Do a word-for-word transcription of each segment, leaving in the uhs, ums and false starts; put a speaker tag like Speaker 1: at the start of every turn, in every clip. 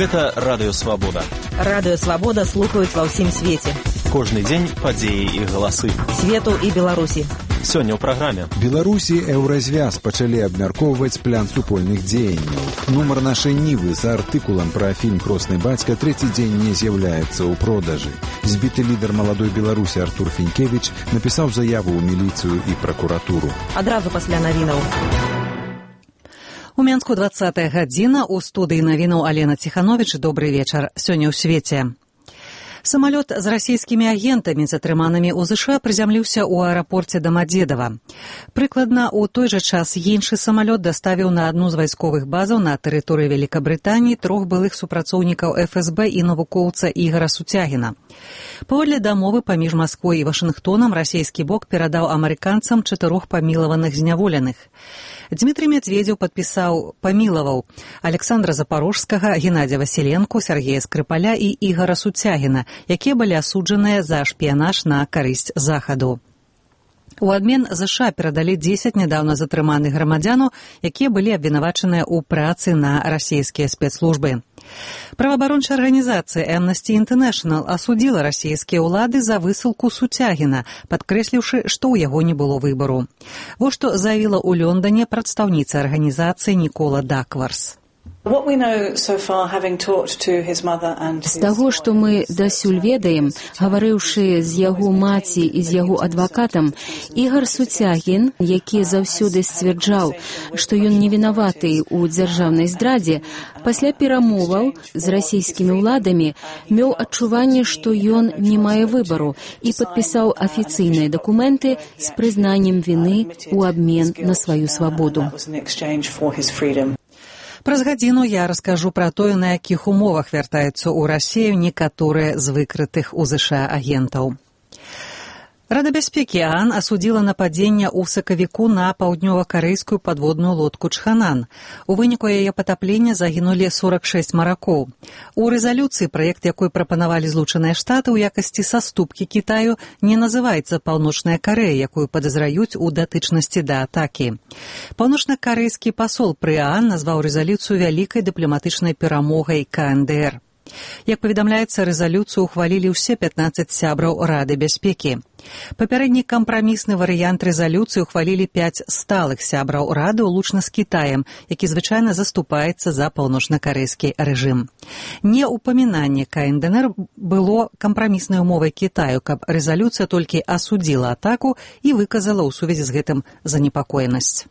Speaker 1: Гэта Радыё Свабода.
Speaker 2: Радыё Свабода слухаюць ва ўсім свеце.
Speaker 1: Кожны дзень падзеі і галасы.
Speaker 2: Свету і Беларусі.
Speaker 1: Сёння ў праграме.
Speaker 3: Беларусі Еўразвяз пачалі абмяркоўваць план супольных дзеянняў. Нумар нашай Нівы за артыкулам пра фільм «Кросны бацька» трэці дзень не з'яўляецца ў продажы. Збіты лідар маладой Беларусі Артур Фінкевіч напісаў заяву ў міліцыю і пракуратуру.
Speaker 2: Адразу пасля навінаў.
Speaker 4: У Менску двадцатая гадзіна, у студыі навінаў Алена Ціхановіч. Добры вечар. Сёння ў свеце. Самалёт з расійскімі агентамі, затрыманымі ў ЗША, прызямліўся ў аэрапорце Дамадзедава. Прыкладна ў той жа час іншы самалёт даставіў на адну з вайсковых базаў на тэрыторыі Вялікабрытаніі трох былых супрацоўнікаў эф эс бэ і навукоўца Ігара Суцягіна. Паводле дамовы паміж Масквой і Вашынгтонам расійскі бок перадаў амерыканцам чатырох памілаваных зняволеных. Дмітрий Медведзеў падпісаў, памілаваў Александра Запорожскага, Геннадзя Васіленку, Сергея Скрыпаля і Ігара Суцягіна, якія былі асуджаныя за шпіянаж на карысць Захаду. У адмен ЗША перадалі дзесяць нядаўна затрыманых грамадзянаў, якія былі абвінавачаныя ў працы на расійскія спецслужбы. Праваабарончая арганізацыя Amnesty International асудзіла расійскія ўлады за высылку Суцягіна, падкрэсліўшы, што ў яго не было выбару. Вось што заявіла ў Лондоне прадстаўніца арганізацыі Нікола Дакварс.
Speaker 5: З таго, што мы дасюль ведаем, гаварыўшы з яго маці і з яго адвакатам, Ігар Суцягін, які заўсёды сцвярджаў, што ён невінаваты ў дзяржаўнай здрадзе, пасля перамоваў з расійскімі ўладамі меў адчуванне, што ён не мае выбару, і падпісаў афіцыйныя дакументы з прызнаннем віны ў абмен на сваю свабоду.
Speaker 4: Праз гадзіну я раскажу пра тое, на якіх умовах вяртаюцца ў Расію некаторыя з выкрытых у ЗША агентаў. Рада бяспекі ААН асудзіла нападзенне ў сакавіку на паўднёва-карэйскую падводную лодку «Чханан». У выніку яе патаплення загінулі сорак шэсць маракоў. У рэзалюцыі, праект якой прапанавалі Злучаныя Штаты ў якасці саступкі Кітаю, не называецца Паўночная Карэя, якую падазраюць у датычнасці да атакі. Паўночна-карэйскі пасол пры ААН назваў рэзалюцыю вялікай дыпламатычнай перамогай ка эн дэ эр. Як паведамляецца, рэзалюцыю ухвалілі ўсе пятнаццаць сябраў Рады бяспекі. Папярэдні кампрамісны варыянт рэзалюцыі ухвалілі пяць сталых сябраў Рады ўлучна з Кітаем, які звычайна заступаецца за паўночна-карэйскі рэжым. Не ўпамінанне ка эн дэ эр было кампраміснай умовай Кітаю, каб рэзалюцыя толькі асудзіла атаку і выказала ў сувязі з гэтым занепакоенасць.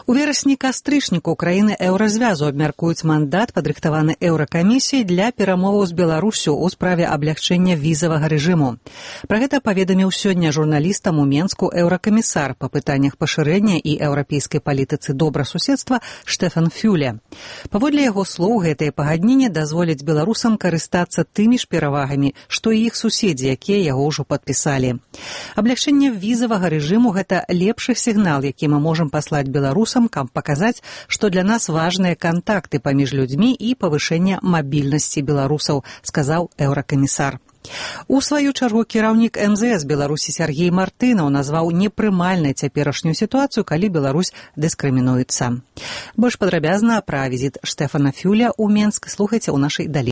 Speaker 4: У верасні-кастрычніку краіны Еўразвязу абмяркуюць мандат, падрыхтаваны Еўракамісіяй для перамоваў з Беларусю ў справе аблягчэння візавага рэжыму. Пра гэта паведаміў сёння журналістам у Менску еўракамісар па пытаннях пашырэння і еўрапейскай палітыцы добрасуседства Штефан Фюле. Паводле яго слоў, гэтае пагадненне дазволіць беларусам карыстацца тымі ж перавагамі, што і іх суседзі, якія яго ўжо падпісалі. Аблягчэнне візавага рэжыму – гэта лепшы сігнал, які мы можам паслаць беларусам, каб паказаць, што для нас важныя кантакты паміж людзьмі і павышэнне мабільнасці беларусаў, сказаў еўракамісар. У сваю чаргу кіраўнік эм зэ эс Беларусі Сергей Мартынаў назваў непрымальнай цяперашнюю сітуацыю, калі Беларусь дыскрымінуецца. Больш падрабязна пра візіт Штефана Фюля ў Менск слухайце ў нашай далей.